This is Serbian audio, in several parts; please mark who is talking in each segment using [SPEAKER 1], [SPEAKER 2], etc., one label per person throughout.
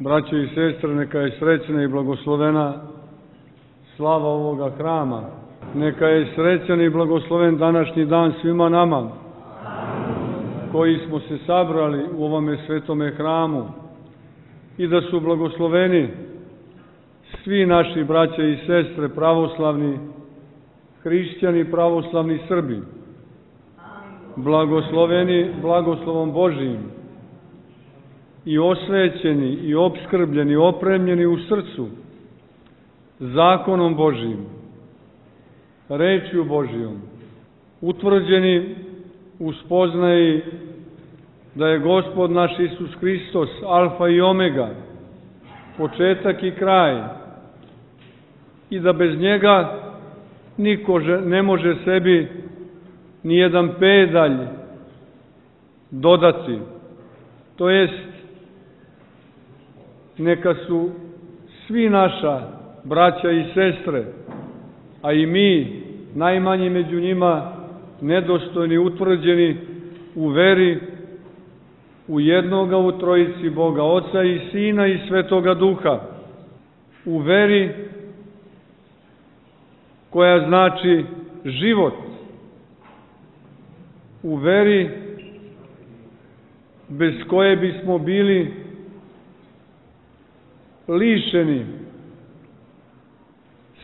[SPEAKER 1] Braćo i sestre, neka je srećna i blagoslovena slava ovoga hrama. Neka je srećan i blagosloven današnji dan svima nama koji smo se sabrali u ovome svetome hramu i da su blagosloveni svi naši braća i sestre, pravoslavni hrišćani, pravoslavni Srbi, blagosloveni blagoslovom Božijim i osvećeni i opskrbljeni, opremljeni u srcu zakonom Božijim, rečju Božijom, utvrđeni u spoznaji da je Gospod naš Isus Hristos alfa i omega, početak i kraj, i da bez njega niko ne može sebi ni jedan pedalj dodati. To jest, neka su svi naša braća i sestre, a i mi, najmanji među njima, nedostojni, utvrđeni u veri u jednoga u trojici Boga, Oca i Sina i Svetoga Duha, u veri koja znači život, u veri bez koje bismo bili lišeni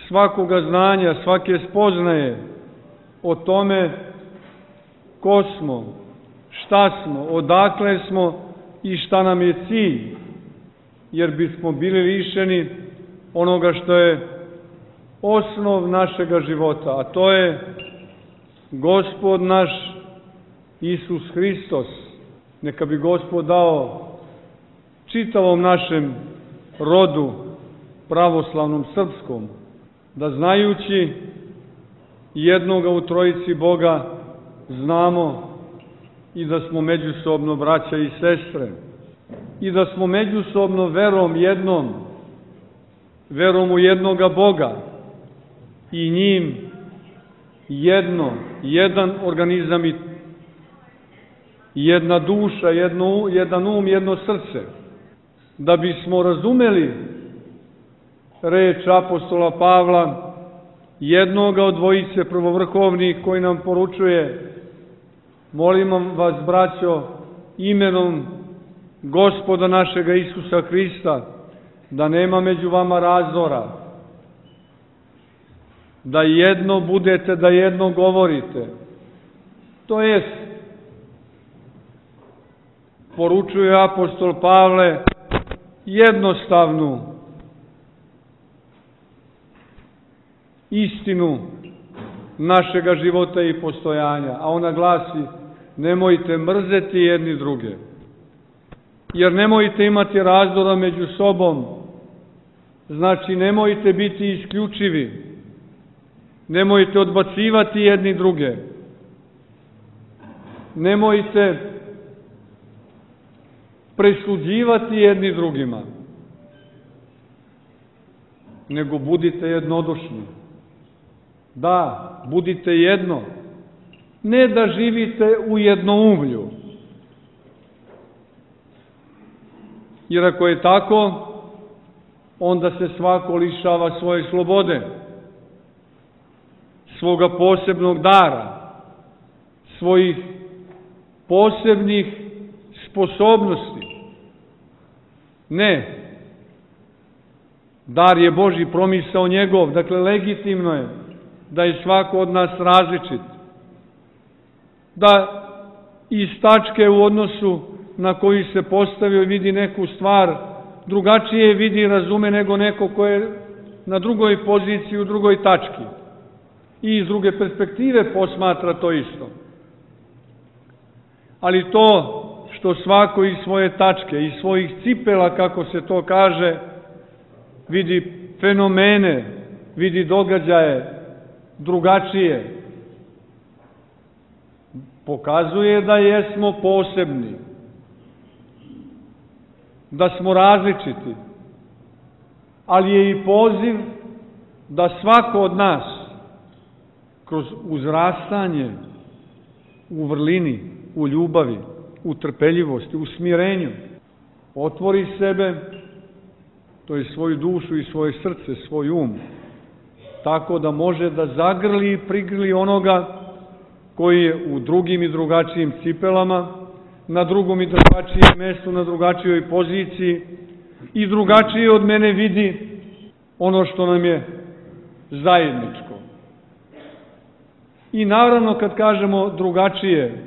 [SPEAKER 1] svakoga znanja, svake spoznaje o tome ko smo, šta smo, odakle smo i šta nam je cilj, jer bismo bili lišeni onoga što je osnov našega života, a to je Gospod naš Isus Hristos. Neka bi Gospod dao čitavom našem rodu pravoslavnom srpskom, da znajući jednoga u trojici Boga znamo i da smo međusobno braća i sestre i da smo međusobno verom jednom, verom u jednoga Boga i njim jedan organizam i jedna duša, jedan um, jedno srce. Da bismo razumeli reč apostola Pavla, jednoga od dvojice prvovrhovnih, koji nam poručuje: molim vas, braćo, imenom Gospoda našega Isusa Hrista, da nema među vama razdora, da jedno budete, da jedno govorite. To jest, poručuje apostol Pavle jednostavnu istinu našega života i postojanja, a ona glasi: nemojte mrzeti jedni druge, jer nemojte imati razdora među sobom, znači nemojte biti isključivi, nemojte odbacivati jedni druge, nemojte presuđivati jedni drugima, nego budite jednodušni. Da, budite jedno. Ne da živite u jednoumlju. Jer ako je tako, onda se svako lišava svoje slobode, svoga posebnog dara, svojih posebnih sposobnosti. Ne. Dar je Božji, promisao njegov, dakle legitimno je da je svako od nas različit. Da iz tačke u odnosu na koju se postavio vidi neku stvar, drugačije vidi i razume nego neko ko je na drugoj poziciji, u drugoj tački. I iz druge perspektive posmatra to isto. Ali to što svako iz svoje tačke, iz svojih cipela, kako se to kaže, vidi fenomene, vidi događaje drugačije, pokazuje da jesmo posebni, da smo različiti, ali je i poziv da svako od nas kroz uzrastanje u vrlini, u ljubavi, u trpeljivosti, u smirenju, otvori sebe to je svoju dušu i svoje srce, svoj um, tako da može da zagrli i prigrli onoga koji je u drugim i drugačijim cipelama, na drugom i drugačijem mestu, na drugačijoj poziciji i drugačije od mene vidi ono što nam je zajedničko. I naravno kad kažemo drugačije,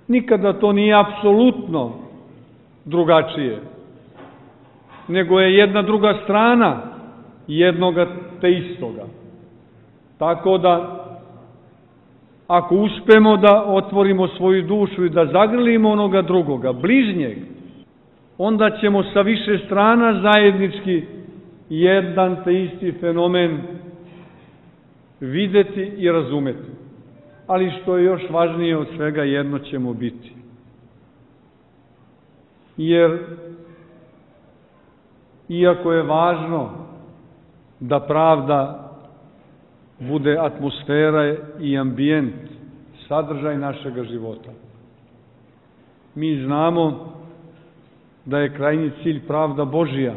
[SPEAKER 1] nikada to nije apsolutno drugačije, nego je jedna druga strana jednoga te istoga. Tako da, ako uspemo da otvorimo svoju dušu i da zagrlimo onoga drugoga, bližnjeg, onda ćemo sa više strana zajednički jedan te isti fenomen videti i razumeti. Ali što je još važnije od svega, jedno ćemo biti. Jer, iako je važno da pravda bude atmosfera i ambijent, sadržaj našega života, mi znamo da je krajnji cilj pravda Božija.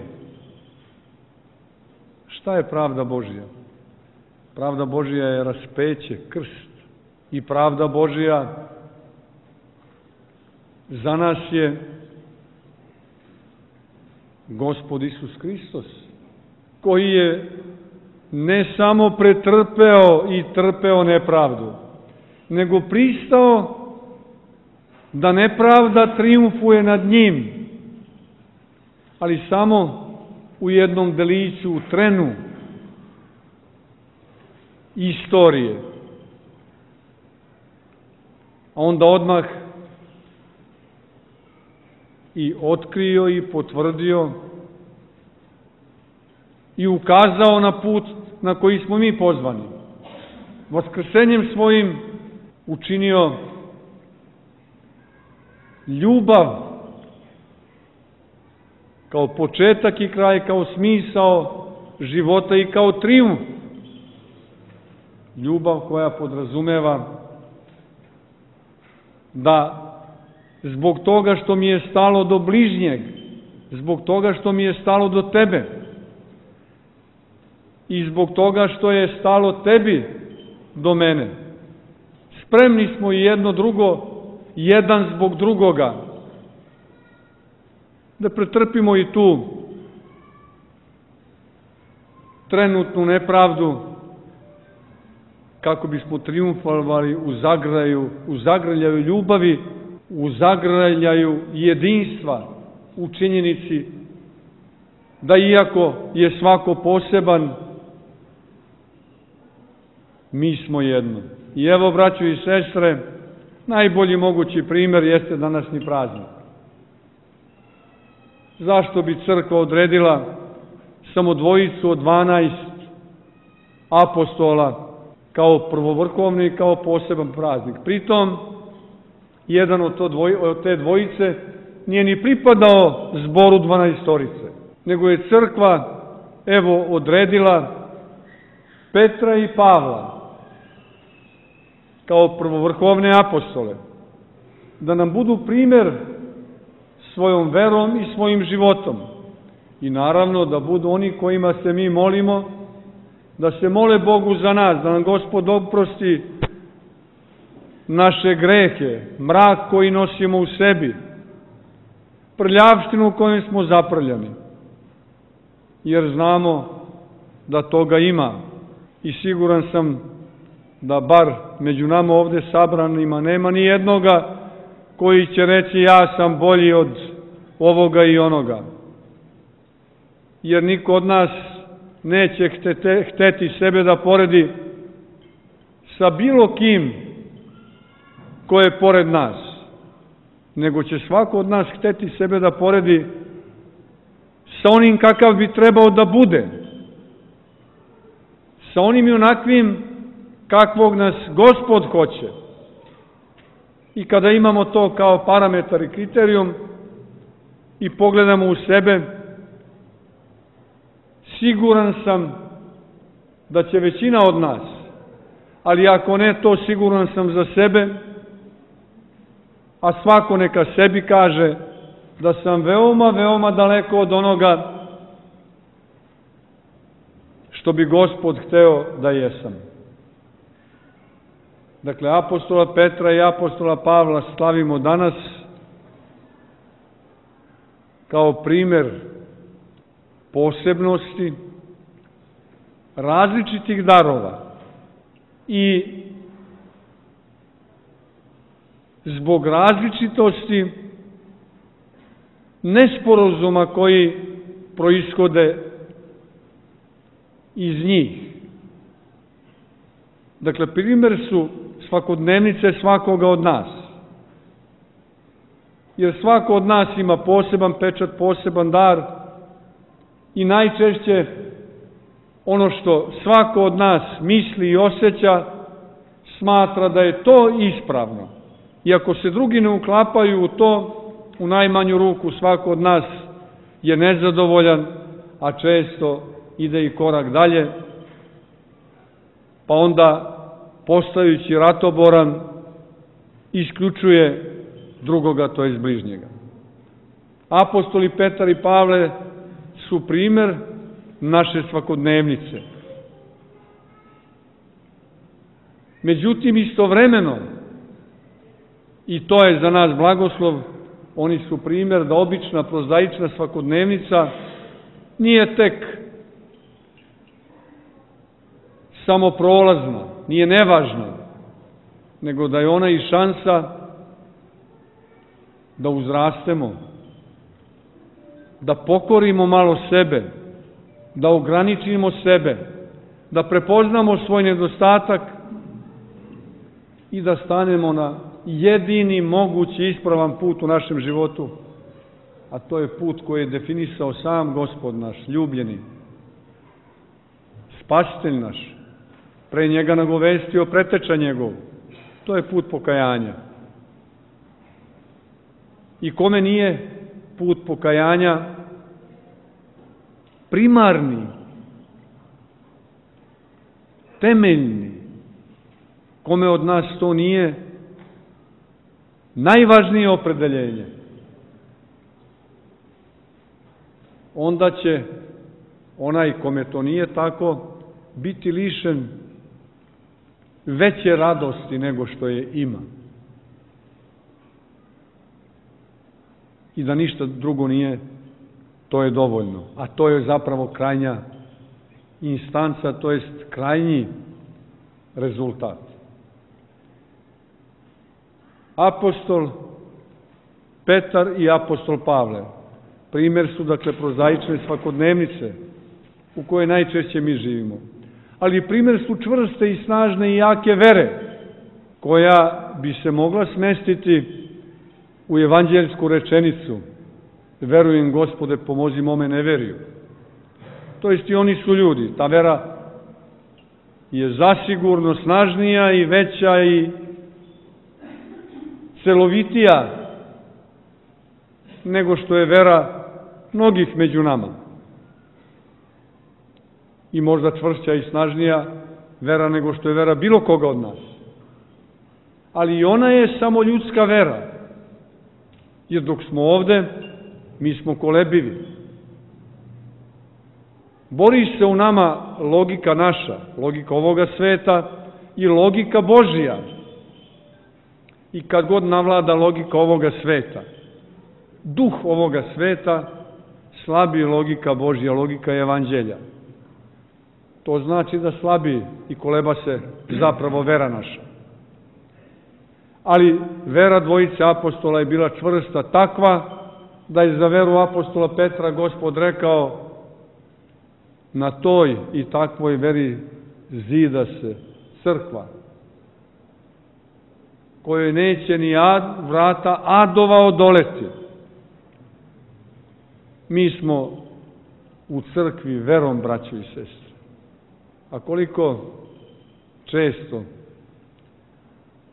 [SPEAKER 1] Šta je pravda Božija? Pravda Božija je raspeće, krst. I pravda Božija za nas je Gospod Isus Hristos, koji je ne samo pretrpeo i trpeo nepravdu, nego pristao da nepravda trijumfuje nad njim, ali samo u jednom deliću, u trenu istorije. A onda odmah i otkrio i potvrdio i ukazao na put na koji smo mi pozvani. Vaskrsenjem svojim učinio ljubav kao početak i kraj, kao smisao života i kao trijumf. Ljubav koja podrazumeva da zbog toga što mi je stalo do bližnjeg, zbog toga što mi je stalo do tebe i zbog toga što je stalo tebi do mene, spremni smo i jedno drugo, jedan zbog drugoga, da pretrpimo i tu trenutnu nepravdu, kako bismo trijumfovali u zagrljaju ljubavi, u zagrljaju jedinstva, u činjenici da iako je svako poseban, mi smo jedno. I evo, braćo i sestre, najbolji mogući primjer jeste današnji praznik. Zašto bi crkva odredila samo dvojicu od 12 apostola kao prvovrhovni i kao poseban praznik? Pritom, jedan od te dvojice nije ni pripadao zboru 12-torice, nego je crkva, evo, odredila Petra i Pavla kao prvovrhovne apostole, da nam budu primjer svojom verom i svojim životom. I naravno da budu oni kojima se mi molimo, da se mole Bogu za nas, da nam Gospod oprosti naše grehe, mrak koji nosimo u sebi, prljavštinu u kojoj smo zaprljani. Jer znamo da toga ima i siguran sam da bar među nama ovde sabranima nema ni jednoga koji će reći ja sam bolji od ovoga i onoga. Jer niko od nas neće hteti sebe da poredi sa bilo kim ko je pored nas, nego će svako od nas hteti sebe da poredi sa onim kakav bi trebao da bude, sa onim i onakvim kakvog nas Gospod hoće. I kada imamo to kao parametar i kriterijum i pogledamo u sebe, siguran sam da će većina od nas, ali ako ne to, siguran sam za sebe, a svako neka sebi kaže da sam veoma, veoma daleko od onoga što bi Gospod hteo da jesam. Dakle, apostola Petra i apostola Pavla slavimo danas kao primer posebnosti, različitih darova i zbog različitosti nesporazuma koji proishode iz njih. Dakle, primer su svakodnevnice svakoga od nas. Jer svako od nas ima poseban pečat, poseban dar i najčešće ono što svako od nas misli i osjeća smatra da je to ispravno. I ako se drugi ne uklapaju u to, u najmanju ruku svako od nas je nezadovoljan, a često ide i korak dalje, pa onda postajući ratoboran isključuje drugoga, to jest bližnjega. Apostoli Petar i Pavle su primer naše svakodnevnice. Međutim, istovremeno, i to je za nas blagoslov, oni su primer da obična, prozaična svakodnevnica nije tek samo prolazna, nije nevažna, nego da je ona i šansa da uzrastemo, da pokorimo malo sebe, da ograničimo sebe, da prepoznamo svoj nedostatak i da stanemo na jedini mogući ispravan put u našem životu, a to je put koji je definisao sam Gospod naš, ljubljeni, spasitelj naš, pre njega nagovestio preteča njegov. To je put pokajanja. I kome nije put pokajanja primarni, temeljni, kome od nas to nije najvažnije opredeljenje, onda će onaj kome to nije tako biti lišen veće radosti nego što je ima. I da ništa drugo nije, to je dovoljno. A to je zapravo krajnja instanca, to jest krajnji rezultat. Apostol Petar i apostol Pavle primer su, dakle, prozaične svakodnevnice u kojoj najčešće mi živimo. Ali primer su čvrste i snažne i jake vere, koja bi se mogla smestiti u evanđeljsku rečenicu: verujem, Gospode, pomozi mome neveriju. To jest i oni su ljudi. Ta vera je zasigurno snažnija i veća i celovitija nego što je vera mnogih među nama. I možda čvršća i snažnija vera nego što je vera bilo koga od nas. Ali i ona je samo ljudska vera. Jer dok smo ovde, mi smo kolebivi. Bori se u nama logika naša, logika ovoga sveta i logika Božija. I kad god navlada logika ovoga sveta, duh ovoga sveta, slabi logika Božja, logika evanđelja. To znači da slabi i koleba se zapravo vera naša. Ali vera dvojice apostola je bila čvrsta, takva da je za veru apostola Petra Gospod rekao: na toj i takvoj veri zida se crkva, kojoj neće ni vrata adova odoleti. Mi smo u crkvi verom, braćo i sestre. A koliko često,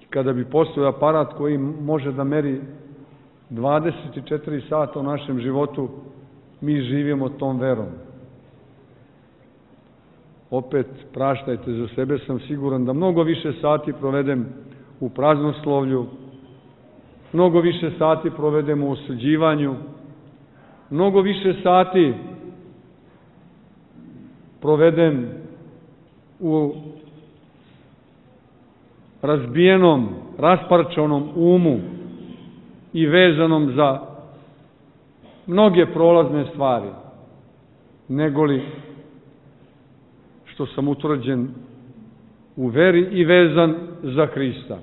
[SPEAKER 1] kada bi postojao aparat koji može da meri 24 sata u našem životu, mi živimo tom verom. Opet, praštajte za sebe, sam siguran da mnogo više sati provedem u praznoslovlju, mnogo više sati provedem u osuđivanju, mnogo više sati proveden u razbijenom, rasparčanom umu i vezanom za mnoge prolazne stvari, negoli što sam utvrđen u veri i vezan za Hrista.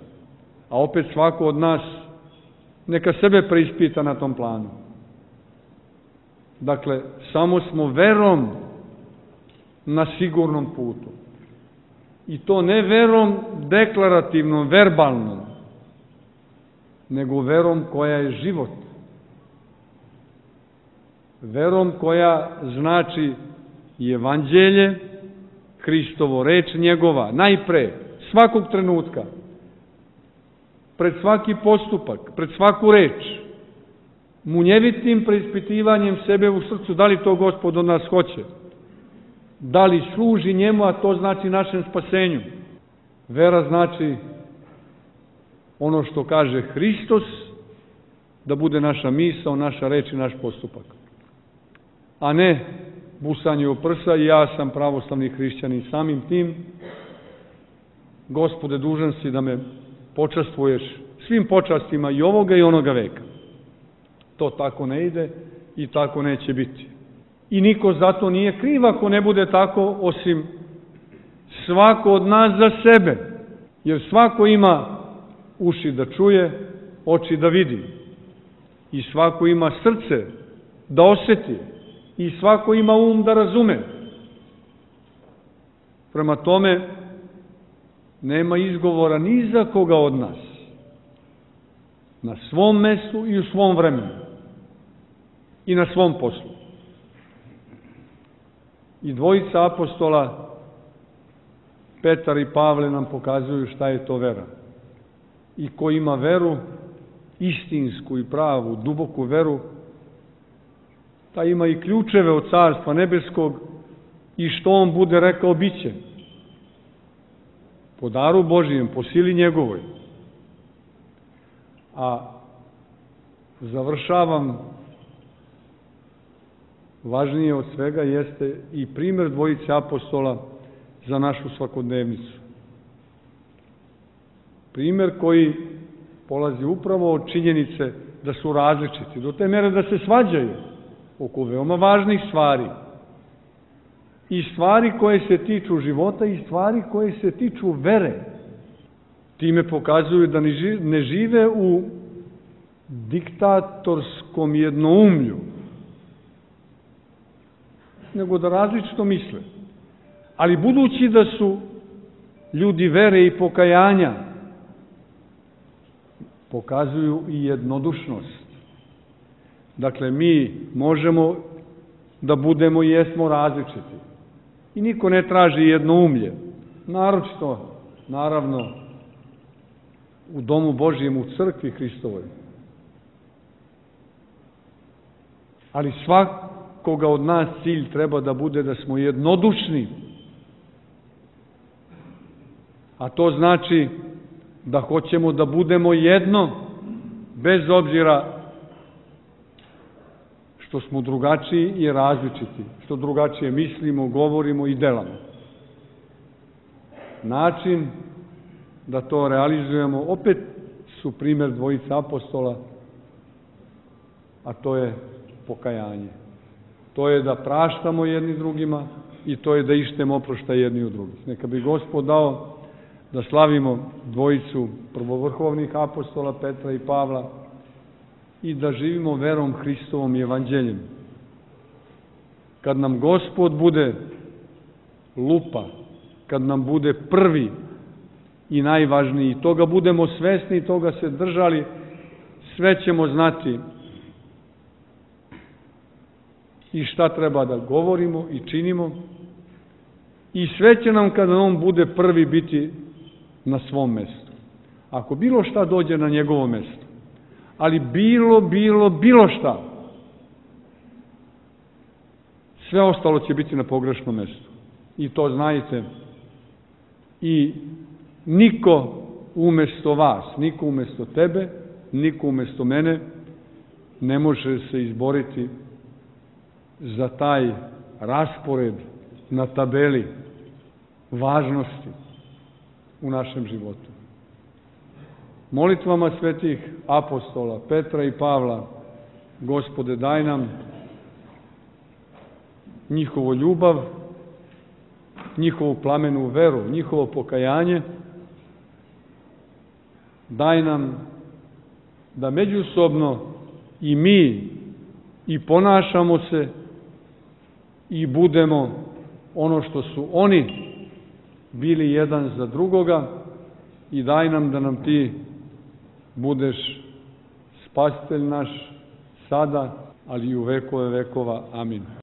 [SPEAKER 1] A opet svako od nas neka sebe preispita na tom planu. Dakle, samo smo verom na sigurnom putu. I to ne verom deklarativnom, verbalnom, nego verom koja je život. Verom koja znači i evanđelje, Hristovo, reč njegova, najpre, svakog trenutka, pred svaki postupak, pred svaku reč, munjevitim preispitivanjem sebe u srcu, da li to Gospod od nas hoće, da li služi njemu, a to znači našem spasenju. Vera znači ono što kaže Hristos, da bude naša misao, naša reč i naš postupak. A ne busanje u prsa i ja sam pravoslavni hrišćanin. Samim tim, Gospode, dužan si da me počastvuješ svim počastima i ovoga i onoga veka. To tako ne ide i tako neće biti. I niko zato nije kriv ako ne bude tako, osim svako od nas za sebe. Jer svako ima uši da čuje, oči da vidi. I svako ima srce da osjeti. I svako ima um da razume. Prema tome, nema izgovora ni za koga od nas. Na svom mestu i u svom vremenu. I na svom poslu. I dvojica apostola, Petar i Pavle, nam pokazuju šta je to vera. I ko ima veru, istinsku i pravu, duboku veru, ta ima i ključeve od Carstva nebeskog i što on bude rekao, bit će. Po daru Božijem, po sili njegovoj. A završavam, važnije od svega jeste i primjer dvojice apostola za našu svakodnevnicu. Primjer koji polazi upravo od činjenice da su različiti, do te mere da se svađaju oko veoma važnih stvari. I stvari koje se tiču života i stvari koje se tiču vere. Time pokazuju da ne žive u diktatorskom jednoumlju, nego da različito misle. Ali budući da su ljudi vere i pokajanja, pokazuju i jednodušnost. Dakle, mi možemo da budemo i jesmo različiti. I niko ne traži jednoumlje. Naročito, naravno, u domu Božijem, u crkvi Hristovoj. Ali svakoga od nas cilj treba da bude da smo jednodušni. A to znači da hoćemo da budemo jedno, bez obzira što smo drugačiji i različiti, što drugačije mislimo, govorimo i delamo. Način da to realizujemo opet su primjer dvojica apostola, a to je pokajanje. To je da praštamo jedni drugima i to je da ištemo oproštaj jedni u drugih. Neka bi Gospod dao da slavimo dvojicu prvovrhovnih apostola Petra i Pavla i da živimo verom Hristovom i evanđeljem. Kad nam Gospod bude lupa, kad nam bude prvi i najvažniji, toga budemo svesni i toga se držali, sve ćemo znati i šta treba da govorimo i činimo i sve će nam kada on bude prvi biti na svom mestu. Ako bilo šta dođe na njegovo mesto, ali bilo šta, sve ostalo će biti na pogrešnom mestu. I to znajte. I niko umesto vas, niko umesto tebe, niko umesto mene ne može se izboriti za taj raspored na tabeli važnosti u našem životu. Molitvama svetih apostola Petra i Pavla, Gospode, daj nam njihovu ljubav, njihovu plamenu veru, njihovo pokajanje, daj nam da međusobno i mi i ponašamo se i budemo ono što su oni bili jedan za drugoga, i daj nam da nam ti budeš spasitelj naš sada, ali i u vekove vekova. Amin.